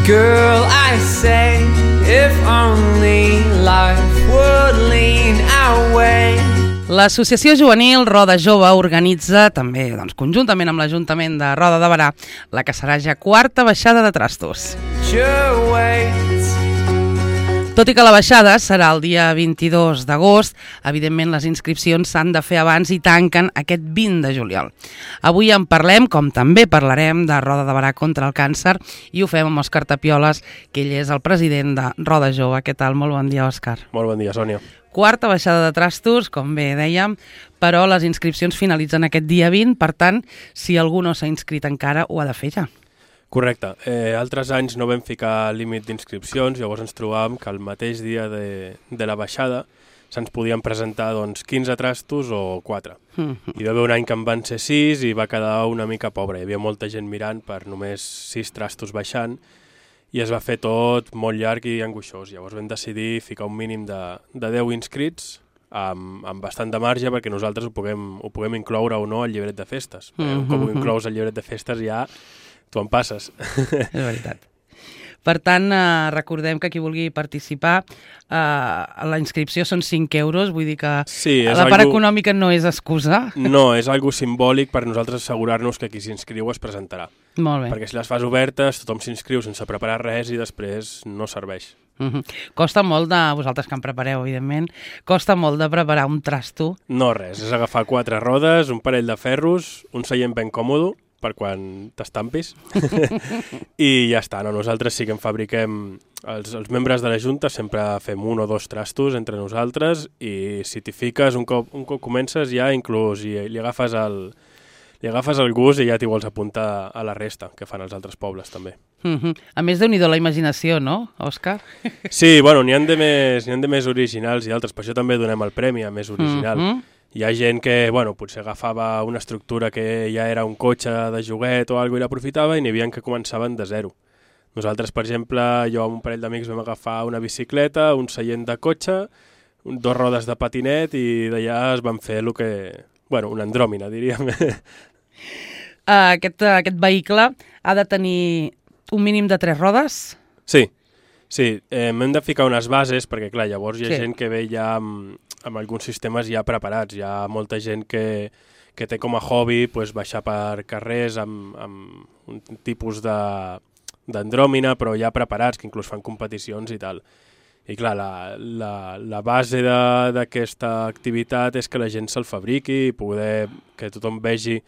Girl, I say, if only life would lean our way. L'Associació Juvenil Roda Jove organitza, també conjuntament amb l'Ajuntament de Roda de Berà, la que serà ja quarta baixada de trastos. Tot i que la baixada serà el dia 22 d'agost, evidentment les inscripcions s'han de fer abans i tanquen aquest 20 de juliol. Avui en parlem, com també parlarem, de Roda de Berà contra el càncer i ho fem amb Òscar Tapioles, que ell és el president de Roda Jove. Què tal? Molt bon dia, Òscar. Molt bon dia, Sònia. Quarta baixada de trastos, com bé dèiem, però les inscripcions finalitzen aquest dia 20, per tant, si algú no s'ha inscrit encara, ho ha de fer ja. Correcte. Altres anys no vam ficar límit d'inscripcions, llavors ens trobàvem que el mateix dia de la baixada se'ns podien presentar 15 trastos o 4. Hi va haver un any que en van ser 6 i va quedar una mica pobre. Hi havia molta gent mirant per només 6 trastos baixant i es va fer tot molt llarg i angoixós. Llavors vam decidir ficar un mínim de 10 inscrits amb bastant de marge perquè nosaltres ho puguem incloure o no al llibret de festes. Un cop ho inclous al llibret de festes ja tu en passes. És veritat. Per tant, recordem que qui vulgui participar, la inscripció són 5 euros, vull dir que sí, la part econòmica no és excusa. No, és algo simbòlic per nosaltres assegurar-nos que qui s'inscriu es presentarà. Molt bé. Perquè si les fas obertes, tothom s'inscriu sense preparar res i després no serveix. Costa molt vosaltres que en prepareu, evidentment, costa molt de preparar un trasto? No, res, és agafar 4 rodes, un parell de ferros, un seient ben còmode, per quan t'estampis, i ja està. No? Nosaltres sí que en fabriquem, els membres de la Junta sempre fem 1 o 2 trastos entre nosaltres i si t'hi fiques, un cop comences ja inclús i li agafes el gust i ja t'hi vols apuntar a la resta que fan els altres pobles també. A més, déu-n'hi-do la imaginació, no, Òscar? Sí, bueno, n'hi ha de més originals i altres, per això també donem el premi a més original. Hi ha gent que, potser agafava una estructura que ja era un cotxe de joguet o alguna cosa i l'aprofitava i n'hi havia que començaven de zero. Nosaltres, per exemple, jo amb un parell d'amics vam agafar una bicicleta, un seient de cotxe, 2 rodes de patinet i d'allà es van fer el que... una andròmina, diríem. Aquest vehicle ha de tenir un mínim de 3 rodes? Sí, hem de ficar unes bases perquè, clar, llavors hi ha gent que ve ja amb alguns sistemes ja preparats. Hi ha molta gent que té com a hobby baixar per carrers amb un tipus d'andròmina, però ja preparats, que inclús fan competicions i tal. I clar, la base d'aquesta activitat és que la gent se'l fabriqui i poder que tothom vegi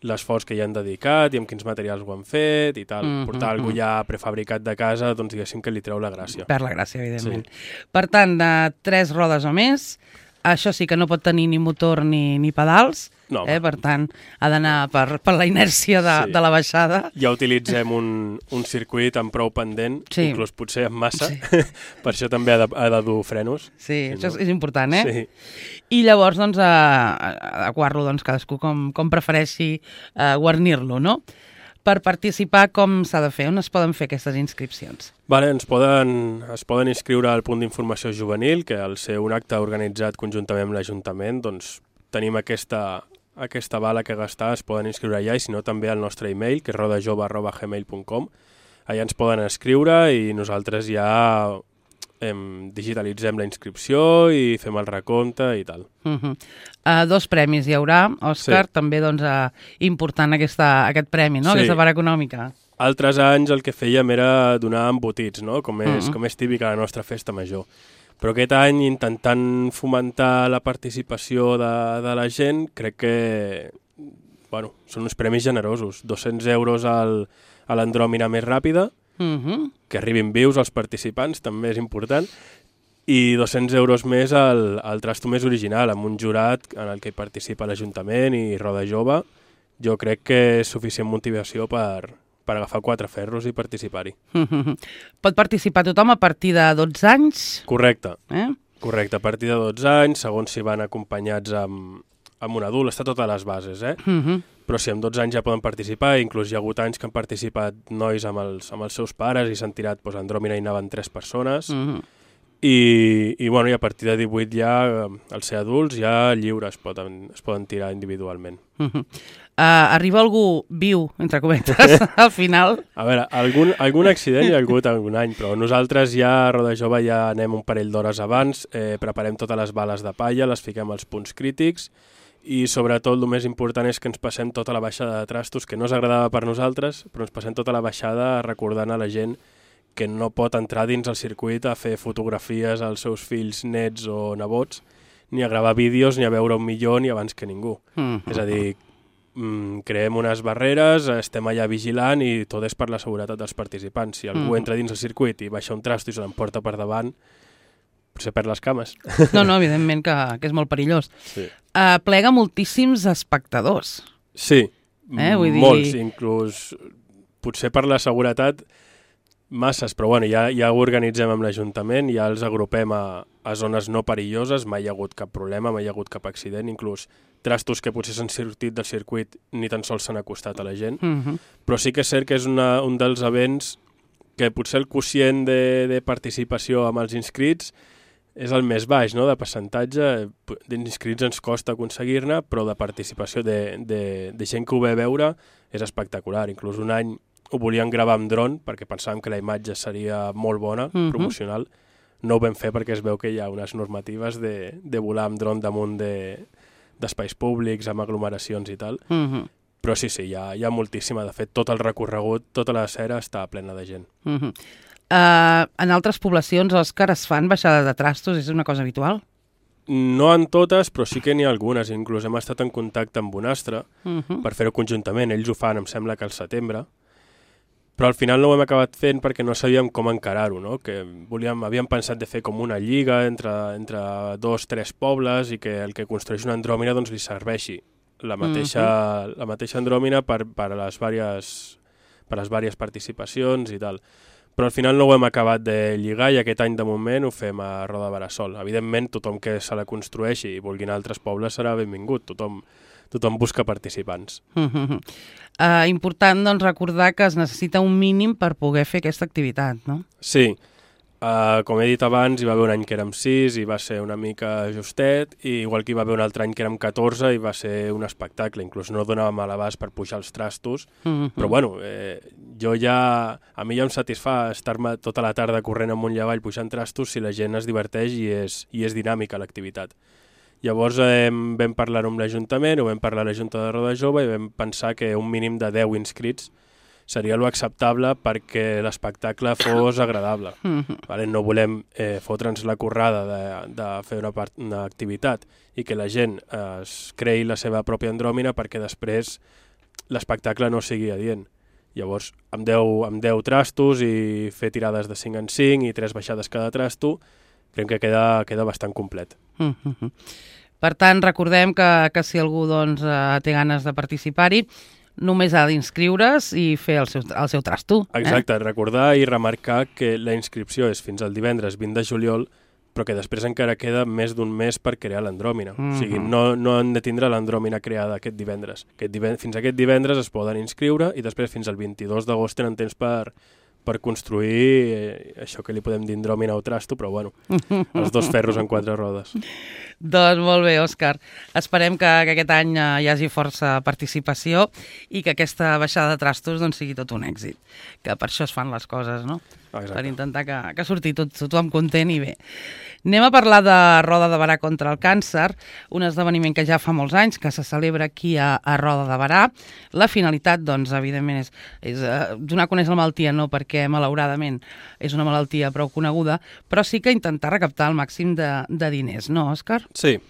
l'esforç que hi han dedicat i amb quins materials ho han fet i tal. Portar alguna ja prefabricat de casa, diguéssim que li treu la gràcia. Per la gràcia, evidentment. Sí. Per tant, de 3 rodes o més, això sí que no pot tenir ni motor ni pedals, no, per tant, ha d'anar per la inèrcia de la baixada. Ja utilitzem un circuit amb prou pendent, inclús potser amb massa, per això també ha de dur frenos. Sí, això és important, Sí. I llavors, adequar-lo cadascú com prefereixi guarnir-lo, no? Per participar, com s'ha de fer? On es poden fer aquestes inscripcions? Es poden inscriure al punt d'informació juvenil, que al ser un acte organitzat conjuntament amb l'Ajuntament, tenim aquesta bala que gastar, es poden inscriure allà, i si no també al nostre e-mail, que és rodajove@gmail.com. Allà ens poden escriure i nosaltres ja digitalitzem la inscripció i fem el recompte i tal. 2 premis hi haurà, Òscar, també important aquest premi, no? Aquesta part econòmica. Altres anys el que fèiem era donar embotits, no? Com és típic a la nostra festa major. Però aquest any, intentant fomentar la participació de la gent, crec que són uns premis generosos. 200 euros a l'andròmina més ràpida, que arribin vius als participants, també és important, i 200 euros més al trasto més original, amb un jurat en el que hi participa l'Ajuntament i Roda Jove. Jo crec que és suficient motivació per agafar 4 ferros i participar-hi. Pot participar tothom a partir de 12 anys? Correcte, correcte, a partir de 12 anys, segons si van acompanyats amb un adult, està totes les bases, però si amb 12 anys ja poden participar, inclús hi ha hagut anys que han participat nois amb els seus pares i s'han tirat andròmina i anaven 3 persones, i a partir de 18 ja, al ser adults, ja lliures es poden tirar individualment. Arriba algú viu, entre cometes, al final? A veure, algun accident hi ha hagut algun any, però nosaltres ja a Roda Jove ja anem un parell d'hores abans, preparem totes les bales de palla, les fiquem als punts crítics i sobretot el més important és que ens passem tota la baixada de trastos, que no és agradava per nosaltres, però ens passem tota la baixada recordant a la gent que no pot entrar dins el circuit a fer fotografies als seus fills, nets o nebots, ni a gravar vídeos, ni a veure un millor, ni abans que ningú. És a dir, creem unes barreres, estem allà vigilant i tot és per la seguretat dels participants. Si algú entra dins el circuit i baixa un trasto i se l'emporta per davant, potser perd les cames. No, evidentment que és molt perillós. Sí. Plega moltíssims espectadors. Sí, vull dir... molts, inclús potser per la seguretat masses, però bueno, ja ho organitzem amb l'Ajuntament, ja els agrupem a zones no perilloses, mai hi ha hagut cap problema, mai hi ha hagut cap accident, inclús trastos que potser s'han sortit del circuit ni tan sols s'han acostat a la gent, però sí que és cert que és un dels events que potser el quocient de participació amb els inscrits és el més baix, no?, de percentatge. D'inscrits ens costa aconseguir-ne, però de participació de gent que ho ve a veure és espectacular. Inclús un any ho volíem gravar amb dron perquè pensàvem que la imatge seria molt bona, promocional. No ho vam fer perquè es veu que hi ha unes normatives de volar amb dron damunt d'espais públics, amb aglomeracions i tal. Però sí, hi ha moltíssima. De fet, tot el recorregut, tota la cera està plena de gent. En altres poblacions, Òscar, es fan baixades de trastos? És una cosa habitual? No en totes, però sí que n'hi ha algunes. Inclús hem estat en contacte amb Bonastre per fer-ho conjuntament. Ells ho fan, em sembla que al setembre. Però al final no ho hem acabat fent perquè no sabíem com encarar-ho, no? Que havíem pensat de fer com una lliga entre 2 o 3 pobles i que el que construeix una andròmina doncs, li serveixi la mateixa andròmina per les vàries participacions i tal. Però al final no ho hem acabat de lligar i aquest any de moment ho fem a Roda de Berà sol. Evidentment, tothom que se la construeixi i vulgui anar a altres pobles serà benvingut. Tothom busca participants. Important doncs, recordar que es necessita un mínim per poder fer aquesta activitat, no? Sí. Com he dit abans, hi va haver un any que érem 6 i va ser una mica justet, i igual que hi va haver un altre any que érem 14 i va ser un espectacle. Inclús no donàvem a l'abast per pujar els trastos, però bueno, a mi ja em satisfà estar-me tota la tarda corrent amunt i avall pujant trastos si la gent es diverteix i és dinàmica l'activitat. Llavors vam parlar amb l'Ajuntament, ho vam parlar a la Junta de Roda Jove i vam pensar que un mínim de 10 inscrits seria lo acceptable perquè l'espectacle fos agradable. No volem fotre'ns la currada de fer una activitat i que la gent es creï la seva pròpia andròmina perquè després l'espectacle no sigui adient. Llavors, amb 10 trastos i fer tirades de 5 en 5 i 3 baixades cada trasto, creiem que queda bastant complet. Per tant, recordem que si algú té ganes de participar-hi, només ha d'inscriure's i fer el seu trasto. Exacte, recordar i remarcar que la inscripció és fins al divendres 20 de juliol, però que després encara queda més d'un mes per crear l'andròmina. O sigui, no han de tindre l'andròmina creada aquest divendres. Fins aquest divendres es poden inscriure i després fins al 22 d'agost tenen temps per construir això que li podem dir andròmina o trasto, però bueno, els 2 ferros en 4 rodes. Doncs molt bé, Òscar. Esperem que aquest any hi hagi força participació i que aquesta baixada de trastos sigui tot un èxit. Que per això es fan les coses, no? Exacte. Per intentar que surti tothom content i bé. Anem a parlar de Roda de Berà contra el càncer, un esdeveniment que ja fa molts anys que se celebra aquí a Roda de Berà. La finalitat, doncs, evidentment, és donar a conèixer la malaltia, no perquè, malauradament, és una malaltia prou coneguda, però sí que intentar recaptar el màxim de diners, no, Òscar? Sí,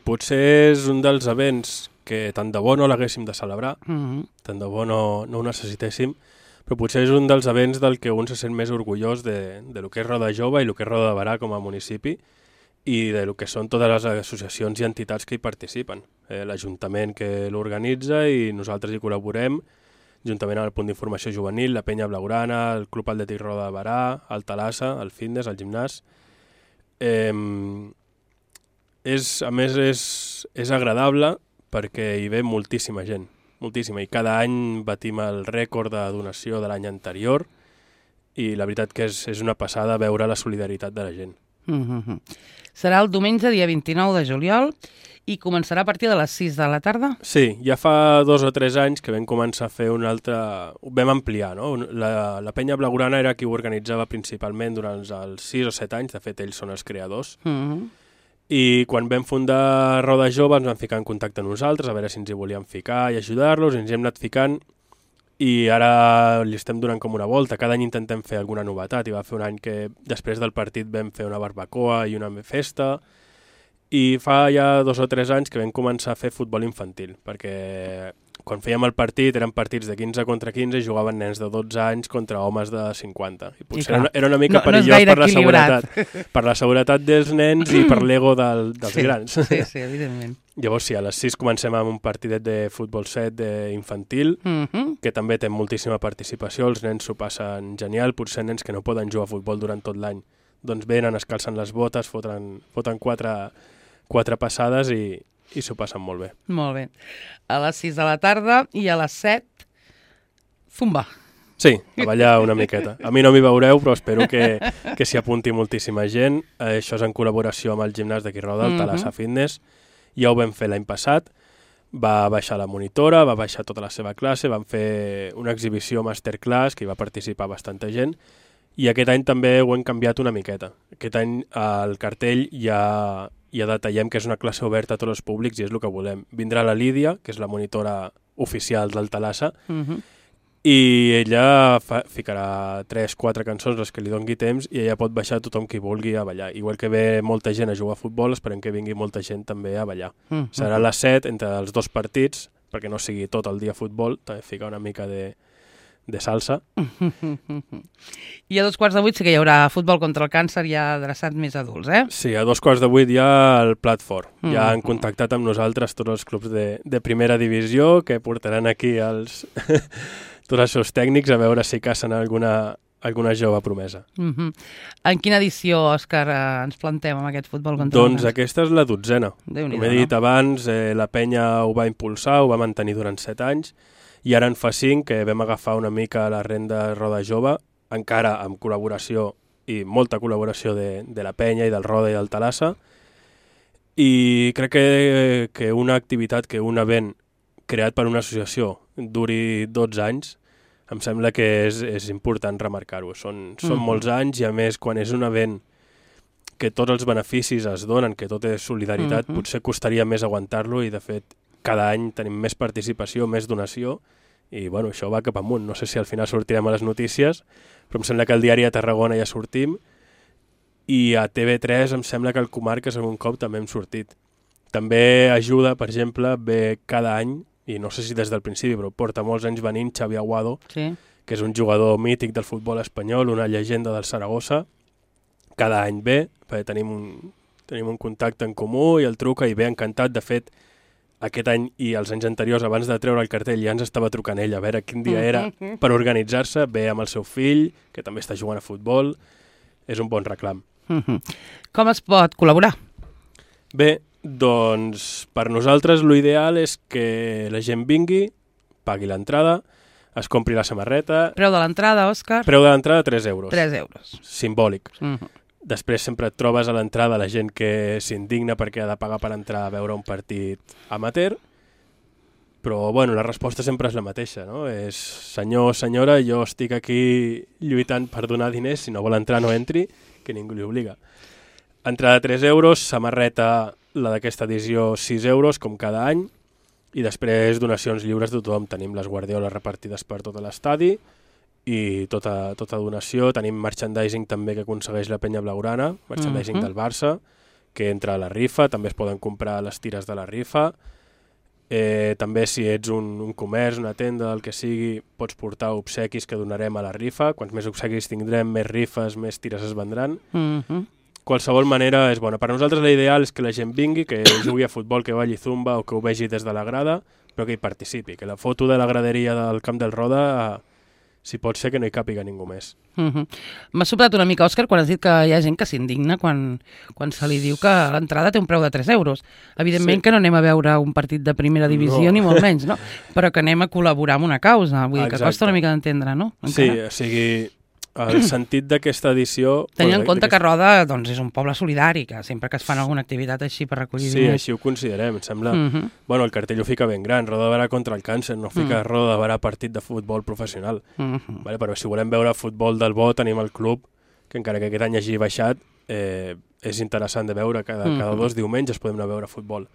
potser és un dels events que tant de bo no l'haguéssim de celebrar, tant de bo no ho necessitéssim, però potser és un dels events del que un se sent més orgullós de lo que és Roda Jove i lo que és Roda de Berà com a municipi i de lo que són totes les associacions i entitats que hi participen. L'Ajuntament que l'organitza i nosaltres hi col·laborem, juntament amb el Punt d'Informació Juvenil, la Penya Blaugrana, el Club Atlètic Roda de Berà, el Talassa, el fitness, el gimnàs. A més, és agradable perquè hi ve moltíssima gent. Moltíssima, i cada any batim el rècord de donació de l'any anterior i la veritat que és una passada veure la solidaritat de la gent. Serà el diumenge, dia 29 de juliol, i començarà a partir de les 6 de la tarda? Sí, ja fa 2 o 3 anys que vam començar a fer un altre... Ho vam ampliar, no? La penya blaugrana era qui ho organitzava principalment durant els 6 o 7 anys, de fet ells són els creadors, i quan vam fundar Roda Jove ens van ficar en contacte amb nosaltres, a veure si ens hi volíem ficar i ajudar-los, i ens hi hem anat ficant, i ara li estem donant com una volta. Cada any intentem fer alguna novetat. Hi va fer un any que després del partit vam fer una barbacoa i una festa, i fa ja 2 o 3 anys que vam començar a fer futbol infantil, perquè quan fèiem el partit eren partits de 15 contra 15 i jugaven nens de 12 anys contra homes de 50. I potser era una mica perillós per la seguretat. Per la seguretat dels nens i per l'ego dels grans. Sí, evidentment. Llavors sí, a les 6 comencem amb un partidet de futbol 7 infantil, que també té moltíssima participació, els nens s'ho passen genial, potser nens que no poden jugar a futbol durant tot l'any. Doncs venen, es calcen les botes, foten quatre passades i s'ho passen molt bé. Molt bé. A les 6 de la tarda i a les 7, zumba. Sí, a ballar una miqueta. A mi no m'hi veureu, però espero que s'hi apunti moltíssima gent. Això és en col·laboració amb el gimnàs d'aquí Roda, el Thalassa Fitness. Ja ho vam fer l'any passat. Va baixar la monitora, va baixar tota la seva classe, vam fer una exhibició masterclass, que hi va participar bastanta gent, i aquest any també ho hem canviat una miqueta. Aquest any el cartell ja detallem que és una classe oberta a tots els públics i és el que volem. Vindrà la Lídia, que és la monitora oficial del Thalassa, i ella ficarà 3-4 cançons, les que li doni temps, i ella pot baixar tothom qui vulgui a ballar. Igual que ve molta gent a jugar a futbol, esperem que vingui molta gent també a ballar. Serà a les 7 entre els 2 partits, perquè no sigui tot el dia futbol, també fica una mica de salsa. I a 7:15 sí que hi haurà futbol contra el càncer ja adreçat més adults, eh? Sí, a 7:15 ja el plat fort. Ja han contactat amb nosaltres tots els clubs de primera divisió que portaran aquí tots els seus tècnics a veure si cacen alguna jove promesa. En quina edició, Òscar, ens plantem amb aquest futbol contra el càncer? Doncs aquesta és la 12a. Com he dit abans, la penya ho va impulsar, ho va mantenir durant 7 anys, i ara en fa 5 que vam agafar una mica la renda Roda Jove, encara amb col·laboració i molta col·laboració de la penya i del Roda i del Thalassa, i crec que una activitat, que un event creat per una associació duri 12 anys, em sembla que és important remarcar-ho. Són molts anys i a més quan és un event que tots els beneficis es donen, que tot és solidaritat, potser costaria més aguantar-lo i de fet cada any tenim més participació, més donació, i bueno, això va cap amunt. No sé si al final sortirem a les notícies, però em sembla que al diari de Tarragona ja sortim, i a TV3 em sembla que al Comarques algun cop també hem sortit. També ajuda, per exemple, ve cada any, i no sé si des del principi, però porta molts anys venint Xavi Aguado, que és un jugador mític del futbol espanyol, una llegenda del Saragossa. Cada any ve, perquè tenim un contacte en comú i el truca i ve encantat. De fet, aquest any i els anys anteriors, abans de treure el cartell, ja ens estava trucant ell a veure quin dia era per organitzar-se. Ve amb el seu fill, que també està jugant a futbol. És un bon reclam. Com es pot col·laborar? Bé, doncs per nosaltres l'ideal és que la gent vingui, pagui l'entrada, es compri la samarreta... Preu de l'entrada, Òscar? Preu de l'entrada 3 euros. 3 euros. Simbòlic. Després sempre et trobes a l'entrada la gent que s'indigna perquè ha de pagar per entrar a veure un partit amateur, però bueno, la resposta sempre és la mateixa, no? És senyor, senyora, jo estic aquí lluitant per donar diners, si no vol entrar no entri, que ningú li obliga. Entrada 3 euros, samarreta, la d'aquesta edició 6 euros, com cada any, i després donacions lliures de tothom. Tenim les guardioles repartides per tot l'estadi i tota donació. Tenim merchandising també que aconsegueix la penya blaugrana, merchandising del Barça, que entra a la rifa, també es poden comprar les tires de la rifa. També si ets un comerç, una tenda, el que sigui, pots portar obsequis que donarem a la rifa. Quants més obsequis tindrem, més rifes, més tires es vendran. Qualsevol manera és bona. Per nosaltres l'ideal és que la gent vingui, que jugui a futbol, que balli zumba o que ho vegi des de la grada, però que hi participi, que la foto de la graderia del Camp del Roda, si pot ser que no hi càpiga ningú més. M'ha sobtat una mica, Òscar, quan has dit que hi ha gent que s'indigna quan se li diu que l'entrada té un preu de 3 euros. Evidentment que no anem a veure un partit de primera divisió, ni molt menys, no? Però que anem a col·laborar amb una causa. Vull dir que costa una mica d'entendre, no? Sí, o sigui, el sentit d'aquesta edició... Tenint en compte que Roda doncs, és un poble solidari, que sempre que es fan alguna activitat així per recollir Sí, diners... així ho considerem, em sembla... Bueno, el cartell ho fica ben gran, Roda de Barà contra el càncer, no fica Roda de Barà partit de futbol professional. Vale, però si volem veure futbol del bo, tenim el club, que encara que aquest any hagi baixat, és interessant de veure, cada 2 diumenges podem anar a veure futbol.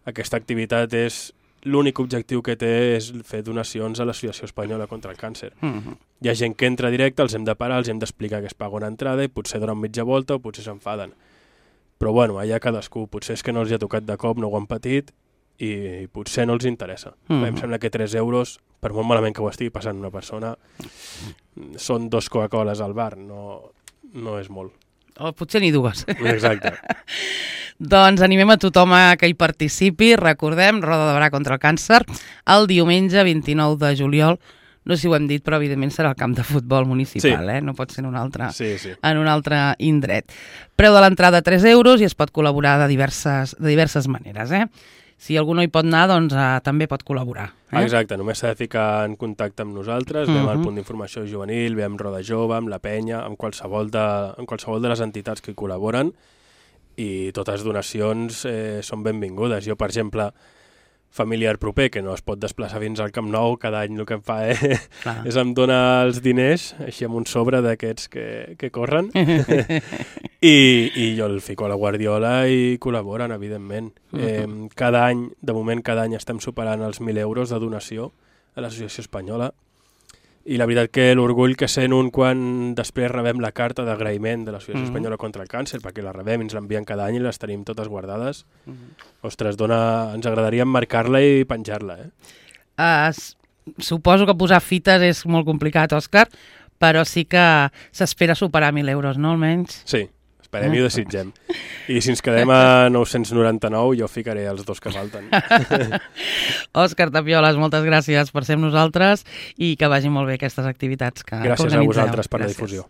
Aquesta activitat és... L'únic objectiu que té és fer donacions a l'Associació Espanyola contra el Càncer. Hi ha gent que entra directe, els hem de parar, els hem d'explicar que es paga una entrada i potser donen mitja volta o potser s'enfaden. Però bueno, allà cadascú, potser és que no els hi ha tocat de cop, no ho han patit i potser no els interessa. Em sembla que 3 euros, per molt malament que ho estigui passant una persona, són 2 Coca-Coles al bar, no és molt. O potser ni 2. Exacte. Doncs animem a tothom a que hi participi. Recordem, Roda de Barà contra el càncer, el diumenge 29 de juliol. No sé si ho hem dit, però evidentment serà el camp de futbol municipal, no pot ser en un altre indret. Preu de l'entrada 3 euros i es pot col·laborar de diverses maneres. Si algú no hi pot anar, doncs també pot col·laborar. Exacte, només s'ha de ficar en contacte amb nosaltres, ve amb el punt d'informació juvenil, ve amb Roda Jove, amb la penya, amb qualsevol de les entitats que hi col·laboren, i totes donacions són benvingudes. Jo, per exemple, familiar proper, que no es pot desplaçar fins al Camp Nou, cada any el que em fa és em dona els diners, així amb un sobre d'aquests que corren, i jo el fico a la guardiola i col·laboren, evidentment. Cada any, de moment, estem superant els 1.000 euros de donació a l'Associació Espanyola, i la veritat que l'orgull que sent un quan després rebem la carta d'agraïment de l'Associació Espanyola contra el Càncer, perquè la rebem i ens l'envien cada any i les tenim totes guardades, ostres, ens agradaria emmarcar-la i penjar-la. Suposo que posar fites és molt complicat, Òscar, però sí que s'espera superar 1.000 euros, no, almenys? Sí, esperem i ho desitgem. I si ens quedem a 999, jo ficaré els 2 que falten. Òscar Tapioles, moltes gràcies per ser amb nosaltres i que vagin molt bé aquestes activitats que gràcies organitzeu. A vosaltres per la difusió.